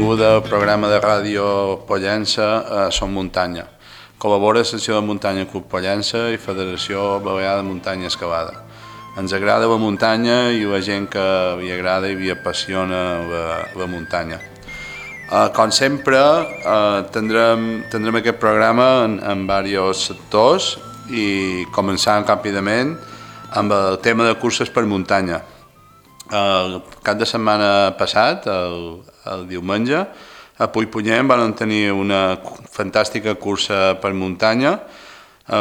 benvinguda al programa de ràdio Pollença Som Muntanya. Col·labora la secció de muntanya Club Pollença i Federació Balear de Muntanya Escalada. Ens agrada la muntanya i la gent que li agrada i li apassiona la muntanya. Com sempre, tindrem aquest programa en diversos sectors i començant ràpidament amb el tema de curses per muntanya. El cap de setmana passat, el diumenge, a Puigpunyent van tenir una fantàstica cursa per muntanya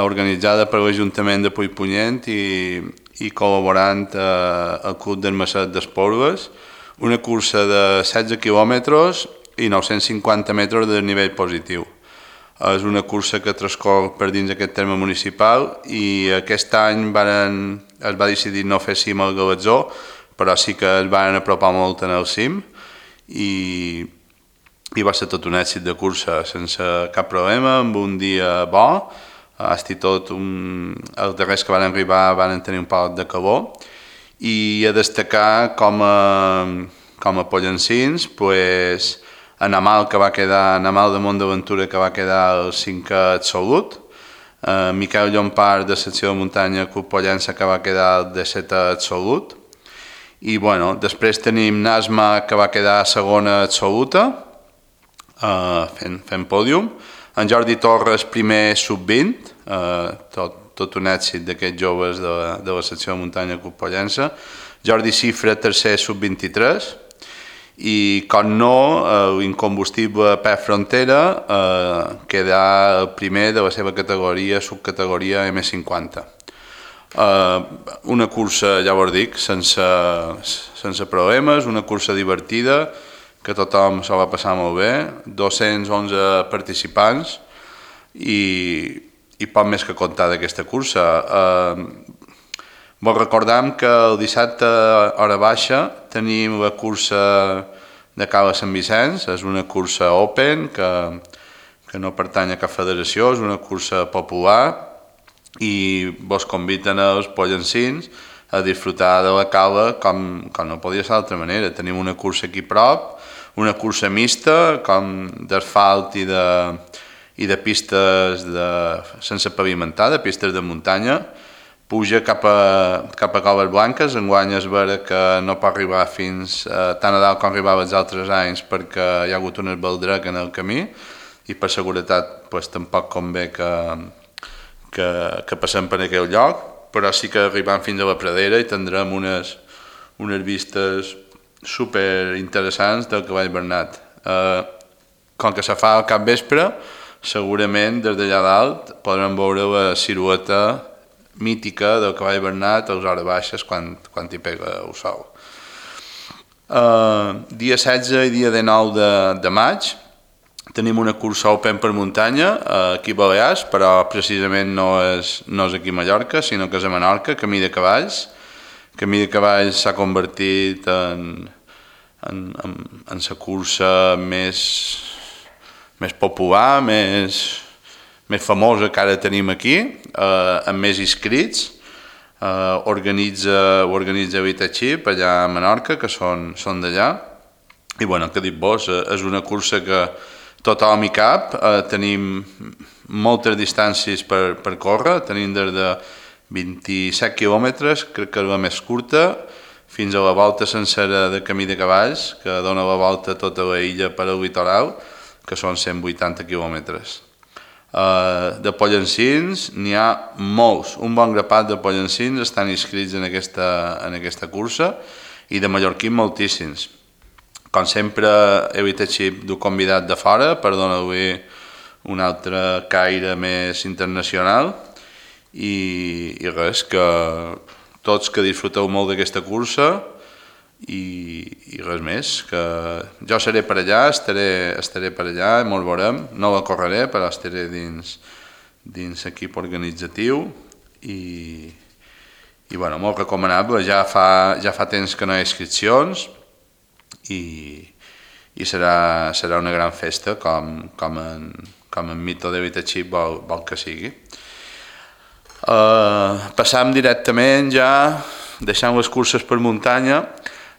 organitzada per l'Ajuntament de Puigpunyent i col·laborant el Club d'Armacet d'Espolves, una cursa de 16 quilòmetres i 950 metres de nivell positiu. És una cursa que transcorre per dins aquest terme municipal i aquest any es va decidir no fer cim al Galatzó, però sí que es van apropar molt en el cim i va ser tot un èxit de cursa sense cap problema, amb un dia bo. Hasta i tot, els darrers que van arribar van tenir un poc de calor i a destacar com a pollencins, en Amal de Montaventura, que va quedar el 5è absolut, Miquel Llompart de secció de muntanya Club Pollença, que va quedar el 17è absolut, i després tenim Nasma, que va quedar segona absoluta fent pòdium, en Jordi Torres primer sub-20, tot un èxit d'aquests joves de la secció de muntanya Club Pollença, Jordi Cifra tercer sub-23 i com no, l'incombustible Pep Frontera quedà el primer de la seva categoria, subcategoria M50. Una cursa, ja vos dic, sense problemes, una cursa divertida, que tothom s'ho va passar molt bé, 211 participants i poc més que contar d'aquesta cursa. Vos recordam que el dissabte a hora baixa tenim la cursa de Cala Sant Vicenç, és una cursa open que no pertany a cap federació, és una cursa popular i vos conviden els pollencins a disfrutar de la cala com no podia ser d'altra manera. Tenim una cursa aquí prop, una cursa mixta com d'asfalt i de pistes sense pavimentar, de pistes de muntanya. Puja cap a Coves Blanques, enguany es vera que no pot arribar fins tan a dalt com arribava els altres anys perquè hi ha hagut un esbaldrec en el camí i per seguretat tampoc convé que passem per aquell lloc, però sí que arribam fins a la pradera i tindrem unes vistes super interessants del Cavall Bernat. Com que se fa al capvespre, segurament des d'allà dalt podrem veure la silueta mítica del Cavall Bernat a les hores baixes quan hi pega el sol. Dia 16 i dia 19 de maig tenim una cursa open per muntanya aquí a Balears, però precisament no és aquí a Mallorca, sinó que és a Menorca, Camí de Cavalls. Camí de Cavalls s'ha convertit en la cursa més popular, més famosa que ara tenim aquí, amb més inscrits. Ho organitza Vitachip allà a Menorca, que són d'allà. I què dir-vos, és una cursa que tothom hi cap, tenim moltes distàncies per córrer, tenim des de 27 quilòmetres, crec que és la més curta, fins a la volta sencera de Camí de Cavalls, que dona la volta a tota la illa per al litoral, que són 180 quilòmetres. De pollencins n'hi ha molts, un bon grapat de pollencins estan inscrits en aquesta cursa i de mallorquins moltíssims. Com sempre, he Vitachip d'un convidat de fora per donar-li un altre caire més internacional i res, que tots que disfruteu molt d'aquesta cursa i res més, que jo seré per allà, estaré per allà, mos veurem, no la correré, però estaré dins l'equip organitzatiu i molt recomanable. Ja fa temps que no hi ha inscripcions i serà una gran festa com en Mito de Vitachip vol que sigui. Passam directament ja, deixant les curses per muntanya,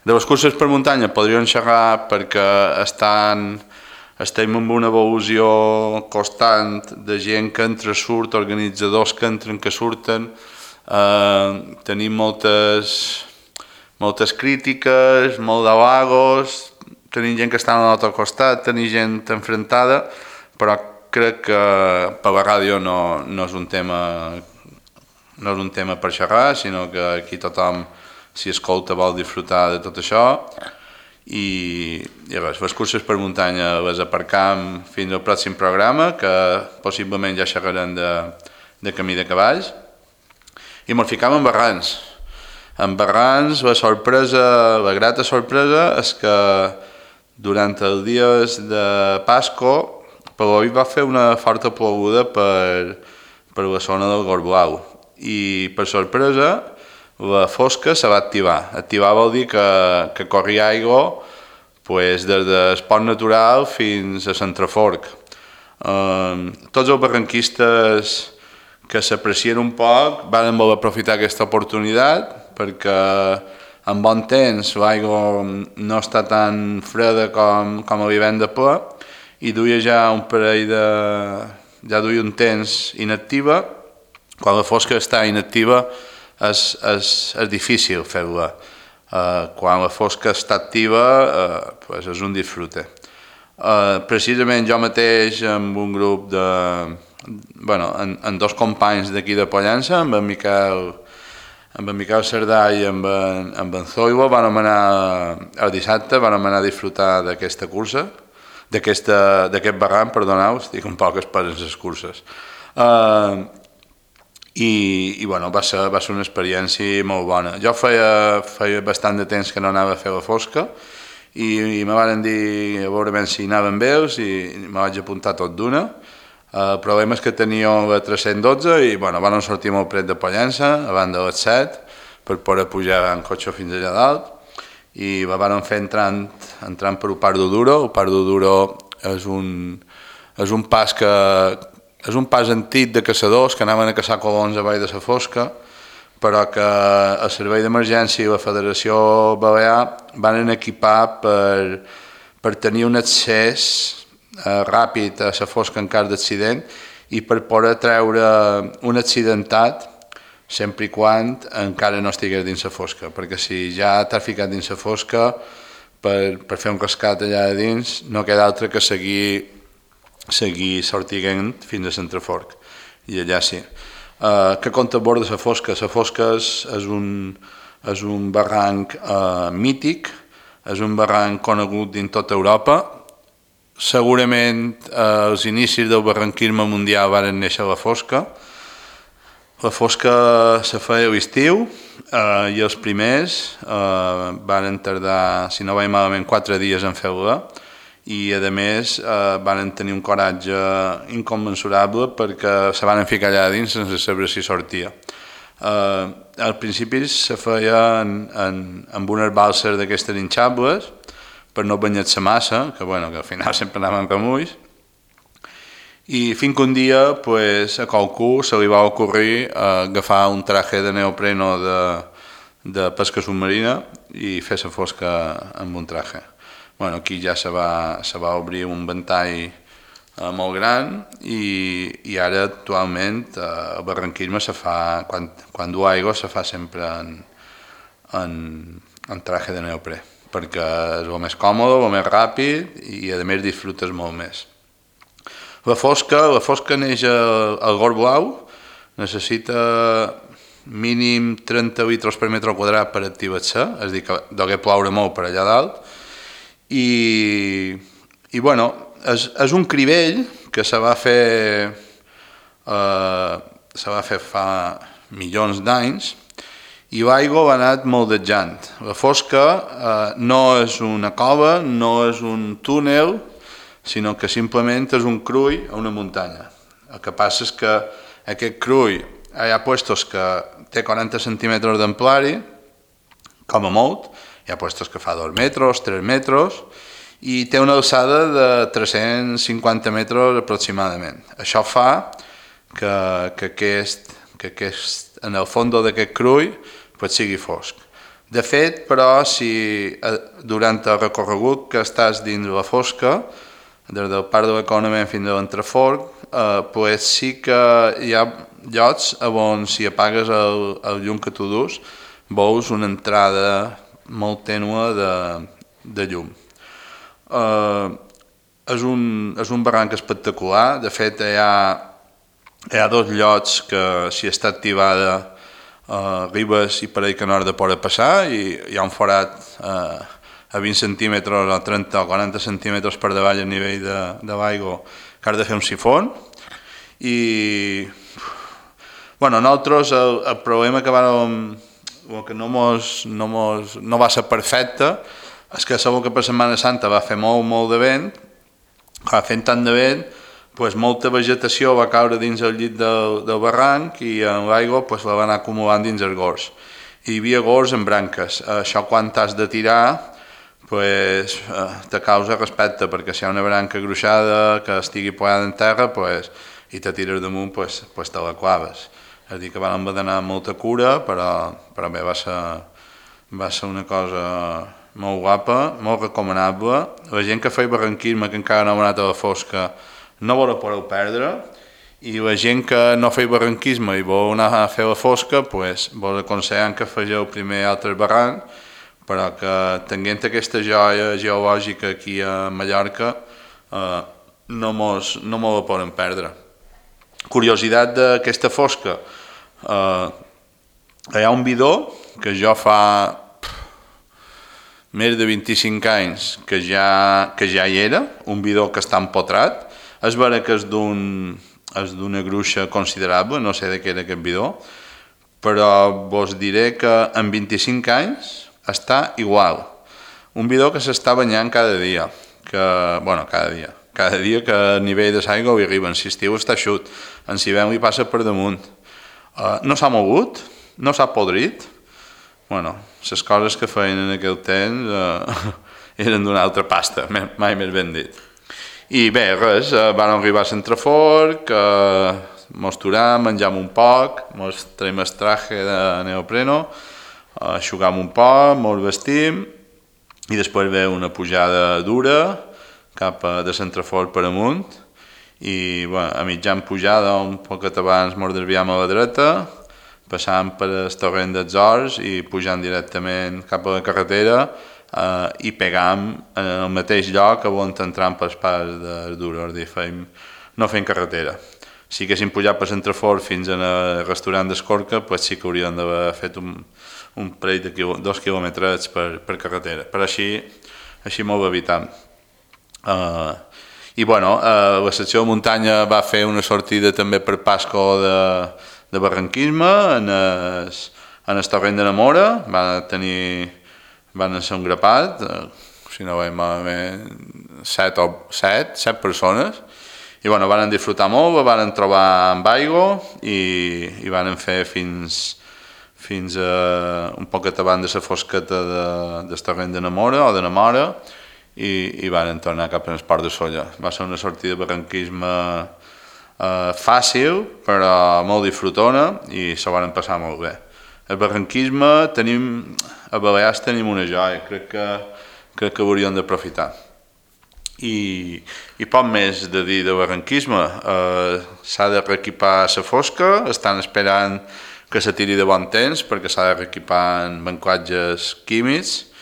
De les curses per muntanya podríem xerrar perquè estem en una evolució constant de gent que entra, surt, organitzadors que entren, que surten. Tenim moltes crítiques, molt d'halagos, tenim gent que està a l'altre costat, tenim gent enfrontada, però crec que per la ràdio no és un tema per xerrar, sinó que aquí tothom, si escolta, vol disfrutar de tot això. I res, les curses per muntanya les aparcam fins al pròxim programa, que possiblement ja xerrarem de camí de cavalls, i ens ficam en Barrans. En Barrans la grata sorpresa és que durant els dies de Pasco Paloi va fer una forta ploguda per la zona del Gorblau i per sorpresa la fosca se va activar. Activar vol dir que corria aigua des del pont natural fins a Centreforc. Tots els barranquistes que s'aprecien un poc van voler aprofitar aquesta oportunitat perquè en bon temps l'aigua no està tan freda com a l'hivern de ple i duia ja duia un temps inactiva. Quan la fosca està inactiva és difícil fer-la. Quan la fosca està activa és un disfrute. Precisament jo mateix amb un grup amb dos companys d'aquí de Pollença, amb en Miquel Cerdà i amb en Zoilo, el dissabte vam anar a disfrutar d'aquesta cursa, d'aquest barranc, perdoneu, estic un poc esperant les curses. I va ser una experiència molt bona. Jo feia bastant de temps que no anava a fer la fosca i me van dir a veure si anaven bé i me vaig apuntar tot d'una. El problema és que tenia la 312 i van sortir molt pret de Pollença, abans de les 7, per poder pujar en cotxe fins allà dalt, i la van fer entrant per el Parc d'Oduro. El Parc d'Oduro és un pas antic de caçadors que anaven a caçar colons a Vall de la Fosca, però que el Servei d'Emergència i la Federació Balear van equipar per tenir un accés ràpid a la fosca en cas d'accident i per poder treure un accidentat sempre i quan encara no estigués dins la fosca, perquè si ja t'has ficat dins la fosca per fer un rescat allà dins no queda altre que seguir sortint fins a Centreforc i allà sí. Què conta a bord de la fosca? La fosca és un barranc mític, és un barranc conegut dins tota Europa. Segurament als inicis del barranquisme mundial van néixer la fosca. La fosca se feia a l'estiu i els primers van tardar, si no vaig malament, 4 dies en fer-la i a més van tenir un coratge incommensurable perquè se van ficar allà dins sense saber si sortia. Al principi se feia amb unes balses d'aquestes hinxables per no banyar-se massa, que al final sempre anaven remulls, i fins que un dia a qualcú se li va ocorrir agafar un traje de neopreno de pesca submarina i fer la fosca amb un traje. Aquí ja se va obrir un ventall molt gran i ara actualment el barranquisme se fa, quan du aigua se fa sempre en traje de neoprè, perquè és el més còmode, el més ràpid i a més disfrutes molt més. La fosca neix al Gorblau, necessita mínim 30 litres per metre quadrat per activar-se, és a dir, que degué ploure molt per allà dalt, i és un cribell que se va fer fa milions d'anys i l'aigua va anar moldejant. La fosca no és una cova, no és un túnel, sinó que simplement és un crull a una muntanya. El que passa és que aquest crull hi ha puestos que té 40 centímetres d'amplari, com a molt, hi ha puestos que fa 2 metres, 3 metres, i té una alçada de 350 metres aproximadament. Això fa que en el fons d'aquest crull sigui fosc. De fet, però, si durant el recorregut que estàs dins la fosca, des del Parc de l'Economia fins a l'Entrefort, pues sí que hi ha llocs on si apagues el llum que tu dus, veus una entrada molt tènue de llum. És un barranc espectacular. De fet, hi ha dos llocs que si està activada arribes i pareix que no has de poder passar, i hi ha un forat a 20 centímetres o 30 o 40 centímetres per davall a nivell de l'aigua que has de fer un sifon. I bueno, nosaltres el problema que no va ser perfecte és que segur que per Setmana Santa va fer molt de vent. Fent tant de vent, pues, molta vegetació va caure dins el llit del barranc i l'aigua pues, la va anar acumulant dins els gors. Hi havia gors en branques. Això quan t'has de tirar pues, te causa respecte, perquè si hi ha una branca gruixada que estigui posada en terra pues, i te tires damunt, pues, te la claves. És a dir, que vam haver d'anar amb molta cura, però bé, va ser una cosa molt guapa, molt recomanable. La gent que feia barranquisme, que encara no ha anat a la fosca, no vos la podeu perdre, i la gent que no feia barranquisme i vol anar a fer la fosca, pues, vos aconsellem que fegeu primer altres barrancs, però que tenint aquesta joia geològica aquí a Mallorca no mos la poden perdre. Curiositat d'aquesta fosca, hi ha un bidó que jo fa més de 25 anys que ja hi era, un bidó que està empotrat. És vera que és d'una gruixa considerable, no sé de què era aquest bidó, però vos diré que en 25 anys està igual. Un bidó que s'està banyant cada dia, cada dia que a nivell de l'aigua hi arriba. En l'estiu està eixut, en l'hivern li passa per damunt. No s'ha mogut, no s'ha podrit. Bueno, les coses que feien en aquell temps eren d'una altra pasta, mai més ben dit. I bé, res, vam arribar a l'Entrefort, mos aturem, menjam un poc, mos traiem el traje de neopreno, aixugam un poc, mos vestim, i després ve una pujada dura cap de l'Entrefort per amunt, i bueno, a mitjan pujada, un poquet abans mos desviam a la dreta, passant per el torrent dels Horts i pujant directament cap a la carretera i pegam en el mateix lloc on entrem pels pas del Duro, és a dir, no fem carretera. Si haguéssim pujat per l'Entrefort fins al restaurant d'Escorca, pues sí que hauríem d'haver fet un parell de 2 quilòmetres per carretera, però així molt evitant. I bueno, la secció de muntanya va fer una sortida també per Pasco de barranquisme en el torrent de Namora. Van ser un grapat, si no veiem malament, 7 persones, i bueno, van disfrutar molt, van trobar amb aigua i van fer fins a un poquet abans de la fosqueta del torrent de Namora o de Namora, i van tornar cap al Port de Sóller. Va ser una sortida de barranquisme fàcil, però molt disfrutona, i se van passar molt bé. El barranquisme a Balears tenim una joia, crec que hauríem d'aprofitar. I poc més de dir de barranquisme. S'ha de reequipar la fosca, estan esperant que se tiri de bon temps perquè s'ha de reequipar en bancatges químics,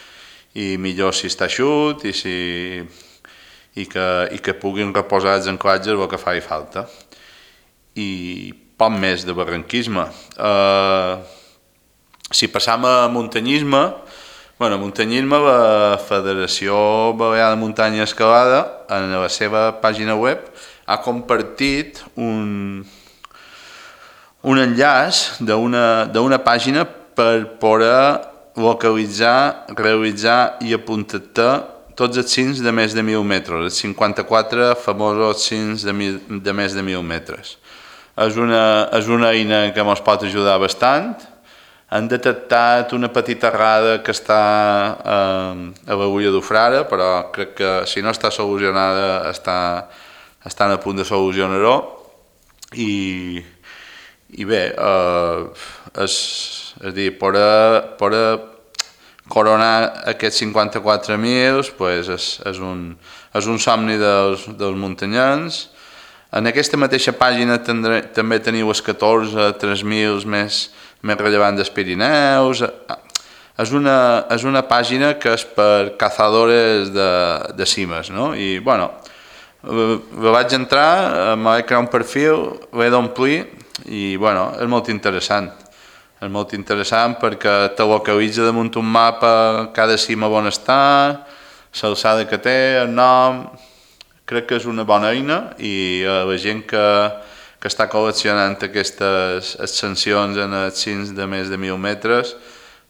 i millor si està eixut i que puguin reposar els anclatges el que faci falta. I poc més de barranquisme. Si passam a muntanyisme, la Federació Balear de Muntanya i Escalada en la seva pàgina web ha compartit un enllaç d'una pàgina per poder localitzar, realitzar i apuntar tots els cims de més de 1.000 metres, els 54 famosos cims de més de 1.000 metres. És una eina que ens pot ajudar bastant. Han detectat una petita errada que està a l'Agulla d'Ufrara, però crec que si no està solucionada estan a punt de solucionar-ho. I bé, és a dir, per coronar aquests 54.000 pues, és un somni dels muntanyencs. En aquesta mateixa pàgina també teniu els 14 3.000 més rellevants dels Pirineus. És una pàgina que és per cazadores de cimes, no? I, bueno, vaig entrar, me vaig crear un perfil, l'he d'omplir i, bueno, és molt interessant. És molt interessant perquè te localitza damunt un mapa cada cima on està, l'alçada que té, el nom. Crec que és una bona eina i la gent que està col·leccionant aquestes ascensions en els cims de més de 1.000 metres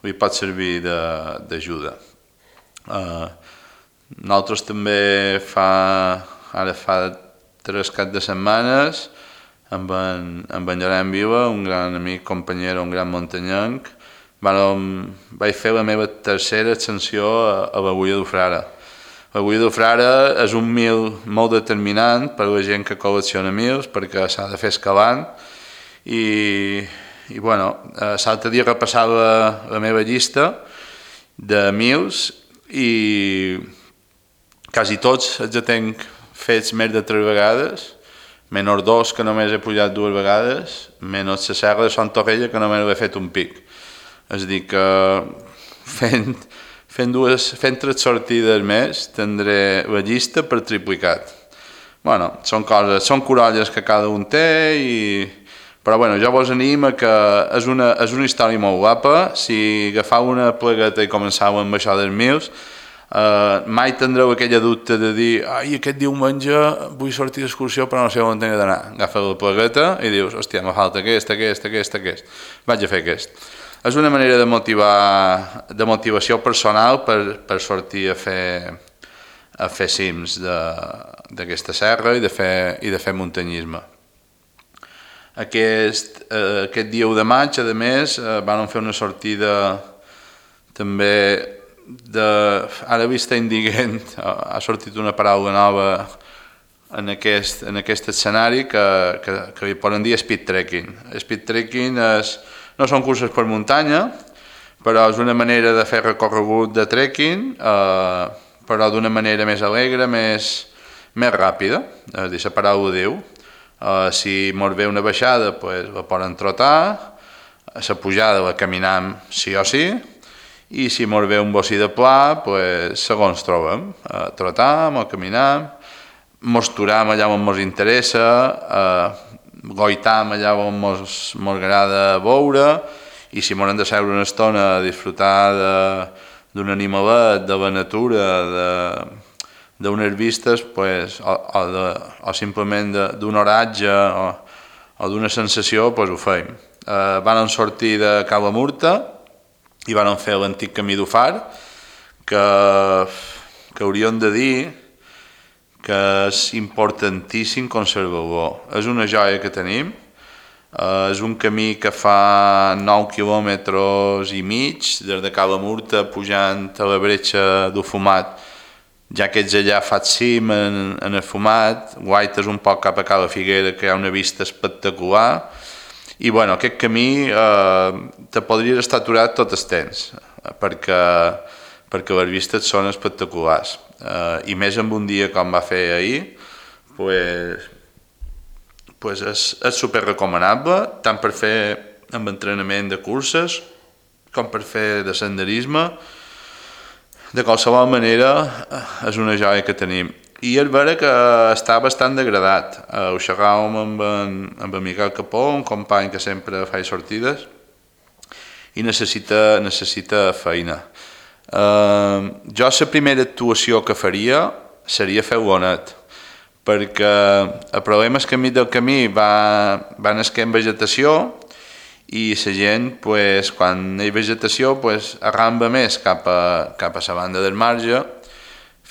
li pot servir d'ajuda. Nosaltres també ara fa 3 caps de setmanes amb en Llorenç Vila, un gran amic, companyero, un gran muntanyenc, vaig fer la meva tercera ascensió a l'Agulla del Frare. L'Agulla del Frare és un mil molt determinant per a la gent que col·lecciona mils perquè s'ha de fer escalant i bueno, l'altre dia repassava la meva llista de mils i quasi tots els tenc fets més de 3 vegades, menys 2 que només he pujat 2 vegades, menys la serra de Sant Torrella que només he fet un pic. És a dir que fent 3 sortides més tindré la llista per triplicat. Bueno, són corolles que cada un té, però bueno, jo vos animo que és una història molt guapa. Si agafau una plegueta i començau amb això dels mils, mai tindreu aquella dubte de dir aquest diumenge vull sortir d'excursió però no sé on he d'anar. Agafeu la plegueta i dius, hòstia, me falta aquest. Vaig a fer aquest. És una manera de motivació personal per sortir a fer cims d'aquesta serra i de fer muntanyisme. Aquest dia 1 de maig, a més, van fer una sortida també ara vist indigent, ha sortit una paraula nova en aquest escenari que li poden dir speed trekking. Speed trekking no són curses per muntanya, però és una manera de fer recorregut de trekking, però d'una manera més alegre, més ràpida. És a dir, la paraula diu, si mos ve una baixada, la poden trotar, la pujada la caminam sí o sí, i si mos ve un bocí de pla, segons trobem, trotam o caminam, mos turam allà on mos interessa, goitam allà on mos agrada veure, i si mos hem de seure una estona a disfrutar d'un animalet, de la natura, d'unes vistes, o simplement d'un oratge o d'una sensació, ho feim. Van sortir de Cala Murta i van fer l'antic camí d'Ufar, que hauríem de dir que és importantíssim conservar-lo. És una joia que tenim, és un camí que fa 9 quilòmetres i mig, des de Cala Murta pujant a la bretxa d'Ufumat, ja que ets allà fas cim en el Fumat, guaites un poc cap a Cala Figuera, que hi ha una vista espectacular, i bueno, aquest camí te podries estar aturat tot el temps, perquè les vistes són espectaculars. I més en un dia com va fer ahir, és super recomanable, tant per fer amb entrenament de curses com per fer de senderisme. De qualsevol manera, és una joia que tenim. I és vera que està bastant degradat. Ho xerràvem amb en Miquel Capó, un company que sempre fa sortides, i necessita feina. Jo la primera actuació que faria seria fer bonet, perquè el problema és que enmig del camí va nasquent vegetació i la gent, quan hi ha vegetació, arramba més cap a la banda del marge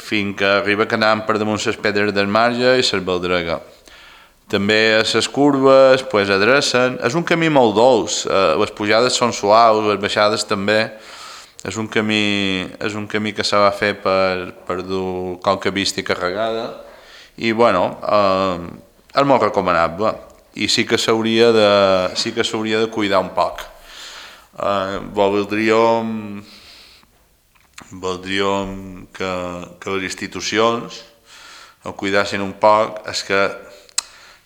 fins que arriba que anam per damunt les pedres del marge i les baldrega. També a les curves adrecen. És un camí molt dolç, les pujades són suaus, les baixades també. És un camí que se va fer per dur qualque vista carregada i bueno, és molt recomanable i sí que s'hauria de cuidar un poc. Voldríem voldríem que les institucions ho cuidassin un poc. És que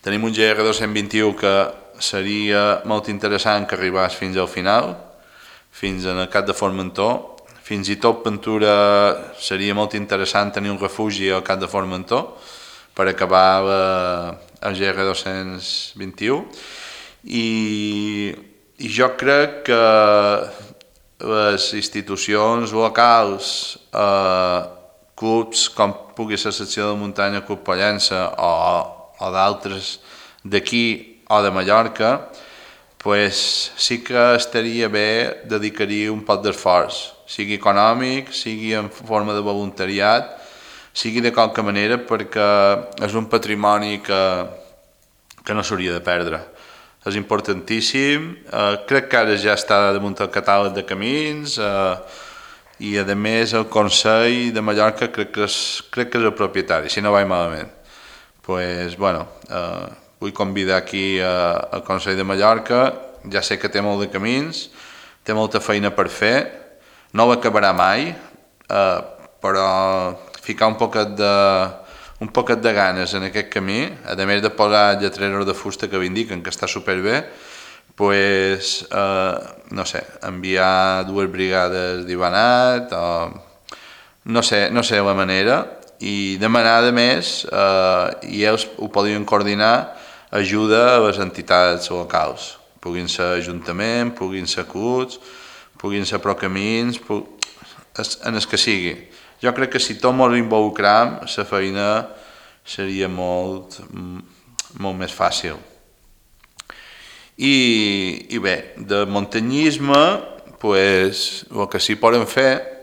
tenim un GR221 que seria molt interessant que arribés fins al final, fins en el Cap de Formentor. Fins i tot Ventura seria molt interessant tenir un refugi al Cap de Formentor per acabar el GR221. I jo crec que les institucions locals, clubs com pugui ser la secció de muntanya Club Pollença o d'altres d'aquí o de Mallorca, pues sí que estaria bé dedicar-hi un poc d'esforç, sigui econòmic, sigui en forma de voluntariat, sigui de qualque manera, perquè és un patrimoni que no s'hauria de perdre. És importantíssim, crec que ara ja està damunt el catàleg de camins i a més el Consell de Mallorca crec que és el propietari, si no vaig malament. Pues, bueno, vull convidar aquí al Consell de Mallorca, ja sé que té molt de camins, té molta feina per fer, no l'acabarà mai, però ficar un poquet de ganes en aquest camí, a més de posar lletreros de fusta que indiquen que està superbé, pues, no sé, enviar 2 brigades d'Ivanat, no sé la manera, i demanar a més, i ells ho podrien coordinar, ajuda a les entitats locals, puguin ser ajuntament, puguin ser clubs, puguin ser procamins, en el que sigui. Jo crec que si tots ens involucram, la feina seria molt més fàcil. I bé, de muntanyisme, pues, el que sí podem fer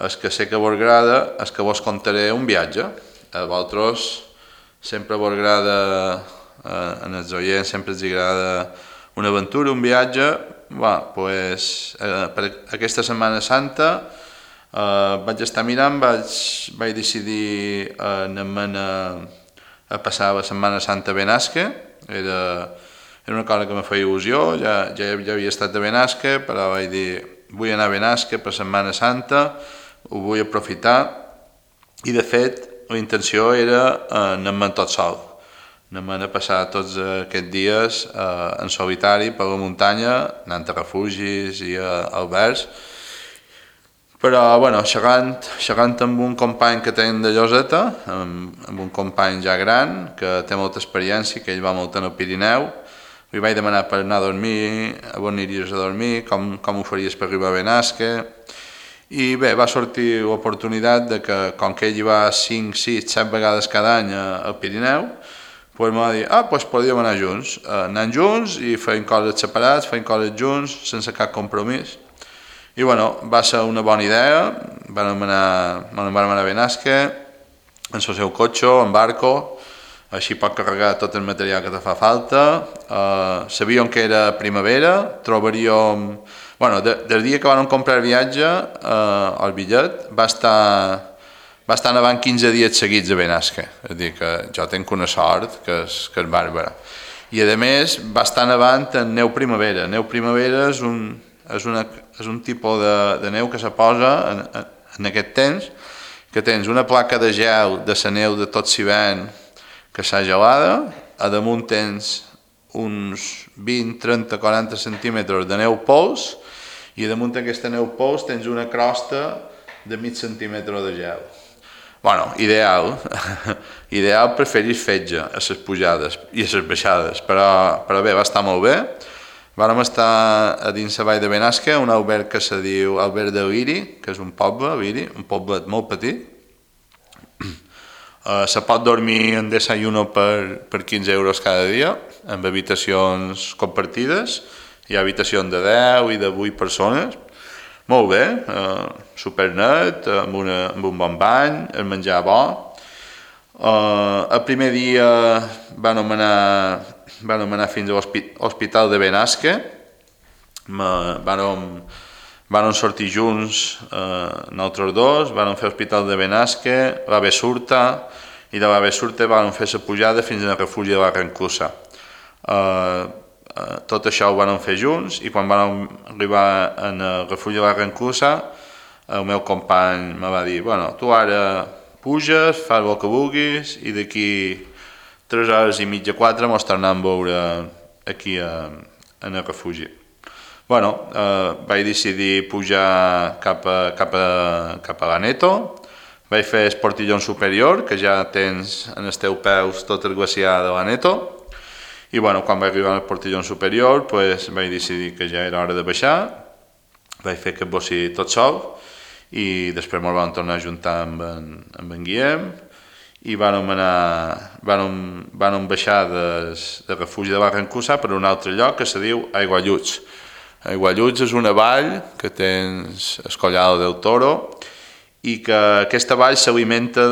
és que sé que vos agrada, és que vos contaré un viatge. A vosaltres sempre vos agrada, en els oients sempre els agrada una aventura, un viatge. Pues, per aquesta Setmana Santa vaig estar mirant, vaig decidir anar-me'n a passar la Setmana Santa a Benasque. Era una cosa que me feia il·lusió, ja havia estat a Benasque, però vaig dir, vull anar a Benasque per Setmana Santa, ho vull aprofitar, i de fet la intenció era anar-me'n tot sol, anar-me'n a passar tots aquests dies en solitari per la muntanya, anant a refugis i a albergs. Però, bueno, xerrant amb un company que tenim de Lloseta, amb un company ja gran, que té molta experiència, que ell va molt en el Pirineu, li vaig demanar per anar a dormir, on aniries a dormir, com ho faries per arribar a Benasque, i bé, va sortir l'oportunitat de que, com que ell hi va 5, 6, 7 vegades cada any al Pirineu, pues me va dir, pues podríem anar junts, anant junts i feien coses separats, feien coses junts, sense cap compromís. I bueno, va ser una bona idea, vam anar a Benasque, en el seu cotxe, en barco, així pot carregar tot el material que te fa falta. Sabíem que era primavera, trobaríem... Bueno, del dia que vam comprar el viatge, el bitllet, va estar nevant 15 dies seguits a Benasque. És a dir, que jo tinc una sort que és bàrbara. I a més va estar nevant en neu primavera. Neu primavera és un tipus de neu que se posa en aquest temps, que tens una placa de gel de la neu de tot l'hivern que s'ha gelada, a damunt tens uns 20, 30, 40 centímetres de neu pols, i damunt d'aquesta neu pols tens una crosta de mig centímetre de gel. Bueno, ideal per fer-hi fetge a les pujades i a les baixades, però bé, va estar molt bé. Vam estar a dins la vall de Benasque, un alberg que se diu Alberg de Liri, que és un poble, Liri, un poblet molt petit. Se pot dormir en desayuno per 15 euros cada dia, amb habitacions compartides. Hi ha habitacions de 10 i de 8 persones. Molt bé, supernet, amb un bon bany, el menjar bo. El primer dia vam anar fins a l'Hospital de Benasque. Vam sortir junts, nosaltres dos, vam fer l'Hospital de Benasque, la Besurta, i de la Besurta vam fer la pujada fins al refugi de la Rancusa. Tot això ho vam fer junts, i quan vam arribar al refugi de la Rancusa el meu company me va dir, bueno, tu ara puges, fas el que vulguis i d'aquí 3 hores i mitja, 4 mos tornem a veure aquí en el refugi. Bueno, vaig decidir pujar cap a l'Aneto, vaig fer el portillon superior, que ja tens en els teus peus tot el glaciar de l'Aneto, i bueno, quan vaig arribar al portillon superior pues, vaig decidir que ja era hora de baixar, vaig fer aquest bossi tot sol, i després ens vam tornar a juntar amb en Guillem, i vam baixar del refugi de Barrancusa per un altre lloc que se diu Aigualluts. Aigualluts és una vall que tens el Collado del Toro i que aquesta vall s'alimenta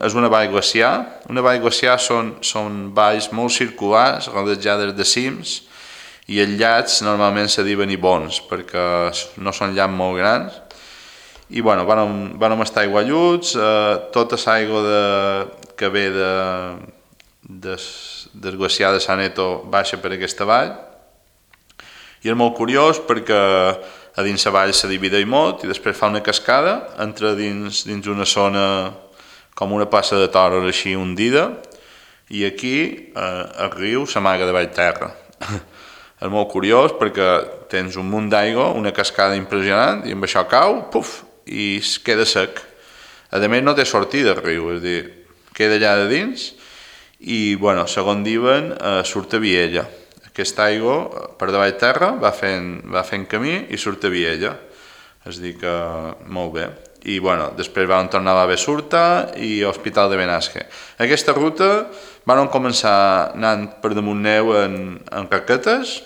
és una vall glaciar. Una vall glaciar són valls molt circulars, rodejades de cims, i els llacs normalment se diuen ibons perquè no són llacs molt grans. I bueno, vam estar aigualluts, tota l'aigua que ve del glaciar de Saneto baixa per aquesta vall, i és molt curiós perquè a dins la vall se divideix molt i després fa una cascada, entra dins una zona com una plaça de toros així hundida, i aquí el riu s'amaga de baix terra. És molt curiós perquè tens un munt d'aigua, una cascada impressionant, i amb això cau, puf, i es queda sec. A més no té sortida el riu, és a dir, queda allà de dins i, bueno, segons diuen, surt a Viella. Aquesta aigua per davall terra va fent camí i surt a Viella. És a dir que molt bé. I, bueno, després vam tornar a la Besurta i a l'Hospital de Benasque. Aquesta ruta vam començar anant per damunt neu en raquetes,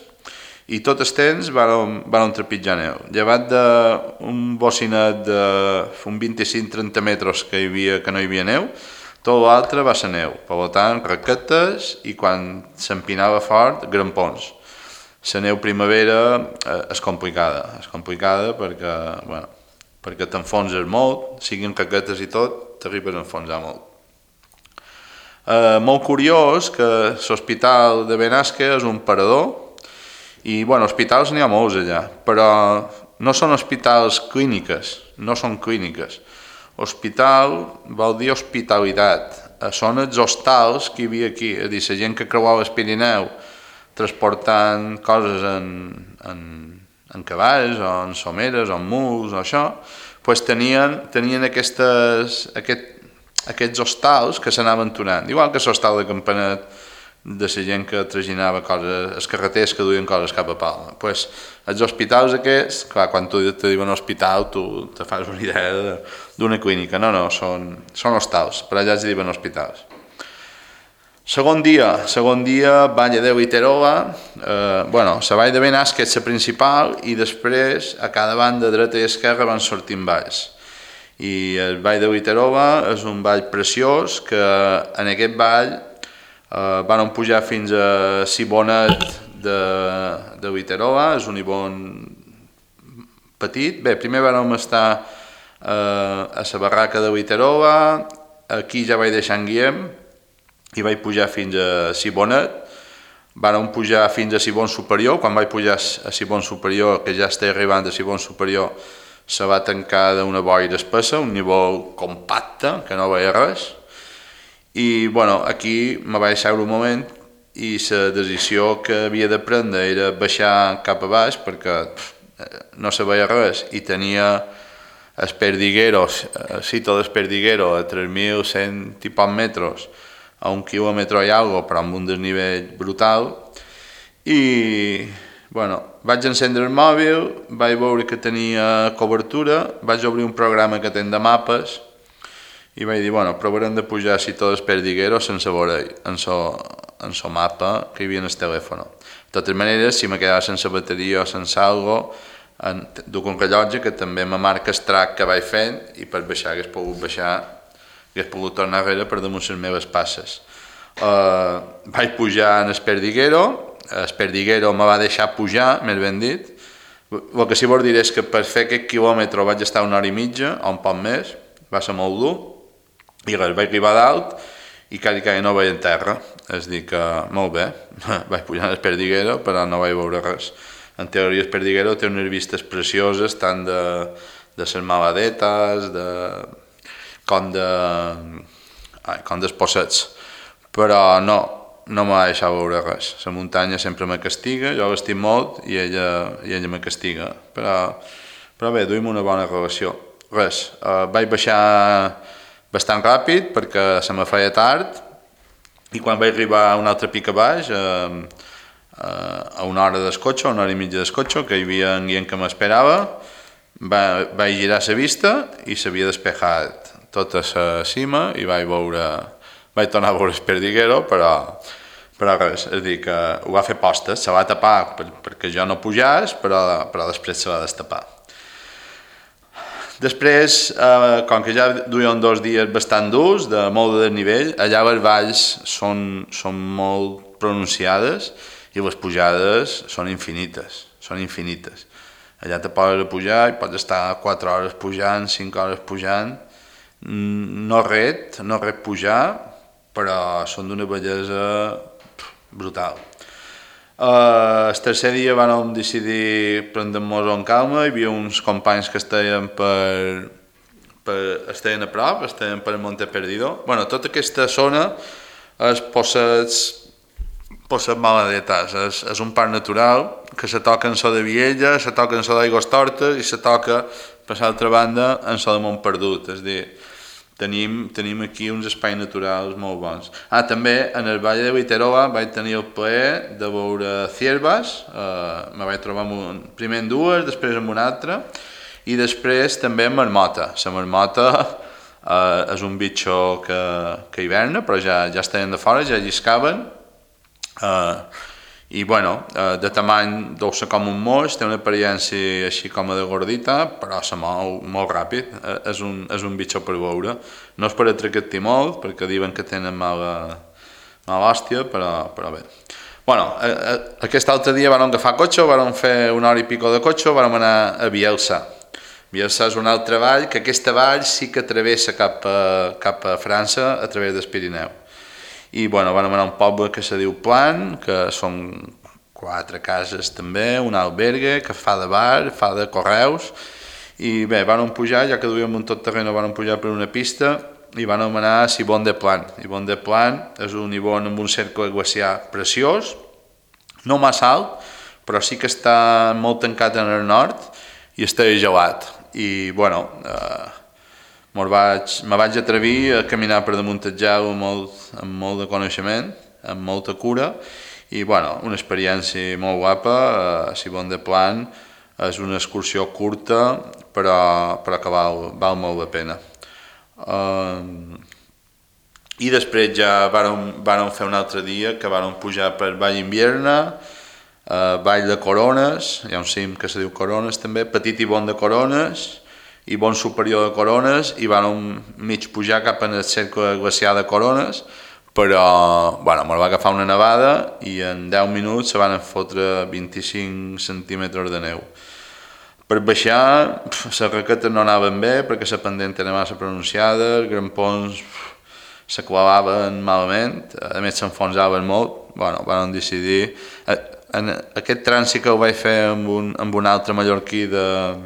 i tot el temps vam trepitjar neu. Llevat d'un bocinet d'un 25-30 metres que no hi havia neu, tot l'altre va ser neu. Per tant, raquetes i quan s'empinava fort, grampons. La neu primavera és complicada perquè t'enfonses molt, siguin raquetes i tot, t'arribes a enfonsar molt. Molt curiós que l'Hospital de Benasque és un parador, i, bueno, hospitals n'hi ha molts allà, però no són hospitals clíniques, no són clíniques. Hospital vol dir hospitalitat. Són els hostals que hi havia aquí, és a dir, la gent que creuava el Pirineu transportant coses en cavalls, o en someres, o en muls, o això, doncs tenien aquests hostals que s'anaven tornant, igual que l'hostal de Campanet, de la gent que traginava coses, els carreters que duien coses cap a Palma. Pues, els hospitals aquests, clar, quan tu te diuen hospital, tu te fas una idea d'una clínica. No, són hostals, per allà es diuen hospitals. Segon dia, Vall de Viterova, la Vall de Benasque és la principal i després a cada banda dreta i esquerra van sortint valls. I el Vall de Viterova és un vall preciós que en aquest vall vam pujar fins a Sibonet de Viterova, és un ibon petit. Bé, primer vam estar a la barraca de Viterova, aquí ja vaig deixar en Guillem i vaig pujar fins a Sibonet. Vam pujar fins a Sibon Superior, quan vaig pujar a Sibon Superior, que ja estic arribant a Sibon Superior, se va tancar d'una boira espessa, un nivell compacte, que no veia res. I, bueno, aquí me vaig seure un moment i la decisió que havia de prendre era baixar cap a baix perquè no se veia res i tenia el Perdiguero, el sitio del Perdiguero a 3.100 i pocs metres, a 1 quilòmetre i algo, però amb un desnivell brutal. I, bueno, vaig encendre el mòbil, vaig veure que tenia cobertura, vaig obrir un programa que ten de mapes i vaig dir, bueno, provarem de pujar si tot el Perdiguero sense veure en el mapa que hi havia en el telèfon. De totes maneres, si me quedava sense bateria o sense algo, duc un rellotge que també me marca el track que vaig fent i per baixar hagués pogut tornar enrere per damunt les meves passes. Vaig pujar en el Perdiguero me va deixar pujar, més ben dit. El que sí vol dir és que per fer aquest quilòmetre vaig estar 1 hora i mitja o un poc més, va ser molt dur. I res, vaig arribar dalt i quasi no veia en terra, és dir que molt bé, vaig pujar al Perdiguero però no vaig veure res. En teoria el Perdiguero té unes vistes precioses tant de les maladetes, com dels possets, però no m'ha deixat veure res. La muntanya sempre me castiga, jo l'estim molt i ella me castiga, però bé, duim una bona relació. Res, vaig baixar bastant ràpid perquè se me feia tard i quan vaig arribar a un altre pic a baix, a una hora d'escotxo, una hora i mitja d'escotxo, que hi havia un guient que m'esperava, vaig girar la vista i s'havia despejat tota la cima i vaig tornar a veure el Perdiguero, però res, és a dir, que ho va fer postes, se va tapar perquè jo no pujàs, però després se va destapar. Després, com que ja duien 2 dies bastant durs, de molt de desnivell, allà les valls són molt pronunciades i les pujades són infinites. Allà te poses a pujar i pots estar 4 hores pujant, 5 hores pujant. No ret pujar, però són d'una bellesa brutal. El tercer dia vam decidir prendre-nos en calma, hi havia uns companys que estaven estaven a prop, estaven per Monte Perdido. Bueno, tota aquesta zona és Possets Maladetes, és un parc natural que se toca en so de Viella, se toca en so d'Aigostortes i se toca, per l'altra banda, en so de Montperdut, és a dir, tenim aquí uns espais naturals molt bons. També en el Valle de Viterova vaig tenir el plaer de veure ciervas, me vaig trobar primer en dues, després en una altra, i després també en marmota. La marmota és un bitxo que hiverna, però ja estaven de fora, ja lliscaven, i bueno, de tamany deu ser com un moix, té una apariència així com de gordita, però se mou molt ràpid, és un bitxo per veure. No és per atractar molt, perquè diuen que tenen mala hòstia, però bé. Bueno, aquest altre dia vam agafar cotxe, vam fer una hora i pico de cotxe, vam anar a Bielsa. Bielsa és una altra vall, que aquesta vall sí que travessa cap a França a través del Pirineu. I bueno, vam anar a un poble que se diu Plan, que són 4 cases també, un albergue que fa de bar, fa de correus, i bé, vam pujar, ja que duíem un tot terreno, vam pujar per una pista i vam anar a Ibon de Plan. Ibon de Plan és un ibon amb un cercle glaciar preciós, no massa alt, però sí que està molt tancat en el nord i està gelat. I bueno, me vaig atrevir a caminar per damunt del gel amb molt de coneixement, amb molta cura, i bueno, una experiència molt guapa. Ibon de Plan és una excursió curta, però que val molt la pena. I després ja vàrem fer un altre dia que vàrem pujar per Vall Invierna, Vall de Corones, hi ha un cim que se diu Corones també, Petit Ibon de Corones, Ibon superior de Corones, i vàrem mig pujar cap en el cercle glaciar de Corones, però bueno, me va agafar una nevada i en 10 minuts se van fotre 25 centímetres de neu. Per baixar, les raquetes no anaven bé perquè la pendent era massa pronunciada, els grampons se clavaven malament, a més s'enfonsaven molt. Bueno, vam decidir... Aquest trànsit que ho vaig fer amb un altre mallorquí del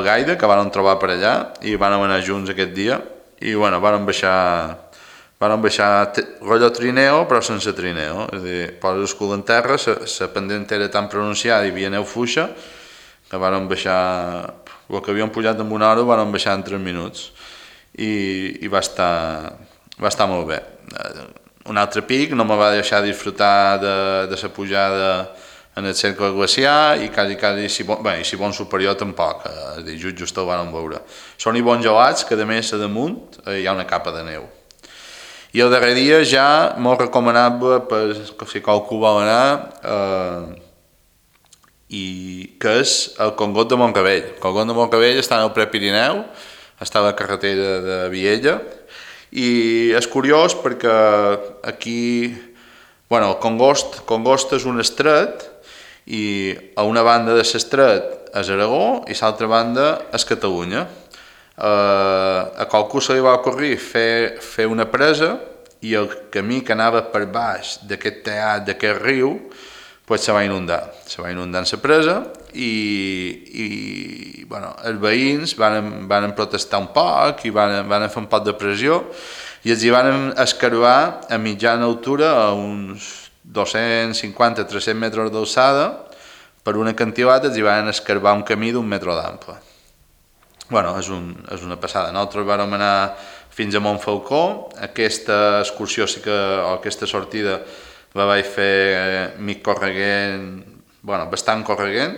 Gaida, que vam trobar per allà, i vam anar junts aquest dia, i bueno, vam baixar rotllo trineo, però sense trineo, és a dir, poses el cul en terra, la pendent era tan pronunciada i hi havia neu fluixa, que vàrem baixar, el que havíem pujat en una hora, vàrem baixar en 3 minuts, i va estar molt bé. Un altre pic no me va deixar disfrutar de la pujada en el cercle glaciar, i quasi Ibon superior tampoc, és a dir, just el vàrem veure. Són Ibon gelats, que a més a damunt hi ha una capa de neu. I el darrer dia ja molt recomanable per si qualcú vol anar, i que és el Congot de Montcavell. El Congot de Montcavell està en el Prepirineu, està a la carretera de Viella, i és curiós perquè aquí, bueno, el Congost és un estret, i a una banda de l'estret és Aragó i a l'altra banda és Catalunya. A qualcú se li va ocorrir fer una presa, i el camí que anava per baix d'aquest teat, d'aquest riu, pues se va inundar en la presa, i bueno, els veïns van protestar un poc i van fer un poc de pressió i els hi van escarbar a mitjana altura a uns 250-300 metres d'alçada. Per un acantilat els hi van escarbar un camí d'un metre d'ample. Bueno, és una passada. Nosaltres vam anar fins a Montfalcó. Aquesta excursió o aquesta sortida la vaig fer mig correguent, bueno, bastant correguent,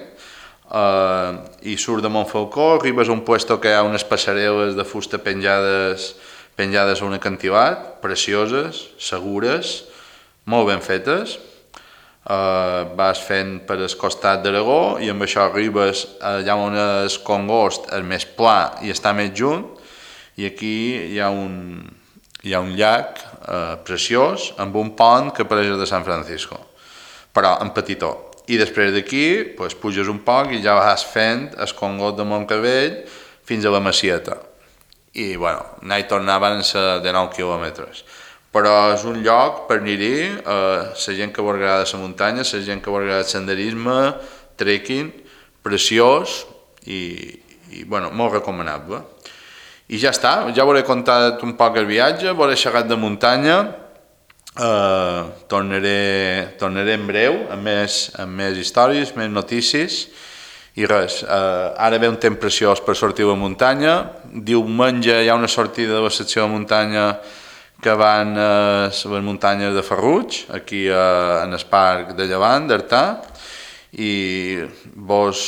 i surt de Montfalcó, arribes a un puesto que hi ha unes passarel·les de fusta penjades a un acantilat, precioses, segures, molt ben fetes. Vas fent per el costat d'Aragó i amb això arribes allà on és Congost, el més pla i està més junt, i aquí hi ha un llac preciós amb un pont que pareix de San Francisco, però en petitó. I després d'aquí pues, puges un poc i ja vas fent el Congost de Montcavell fins a la Macieta. I bueno, anar i tornar van ser de 9 quilòmetres. Però és un lloc per anar-hi, la gent que vol agradar la muntanya, la gent que vol agradar el senderisme, trekking, preciós i bueno, molt recomanable. I ja està, ja hauré contat un poc el viatge, hauré xerrat de muntanya, tornaré en breu amb més històries, més notícies i res, ara ve un temps preciós per sortir a la muntanya. Diumenge hi ha una sortida de la secció de muntanya que van a les muntanyes de Ferruig, aquí en el parc de Llevant, d'Artà, i vos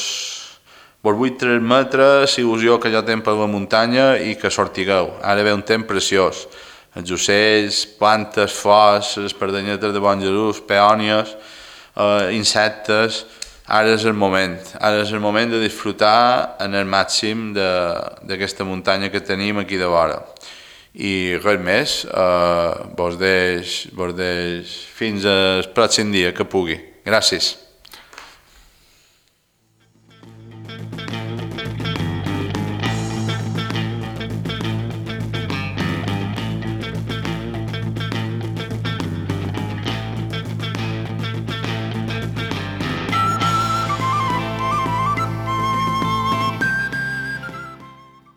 vull transmetre l'il·lusió que jo tinc per la muntanya i que sortigueu. Ara ve un temps preciós. Els ocells, plantes, flors, les espardenyetes de Bon Jesús, peònies, insectes. Ara és el moment de disfrutar en el màxim d'aquesta muntanya que tenim aquí de vora. I res més, vos deix fins al pròxim dia que pugui. Gràcies.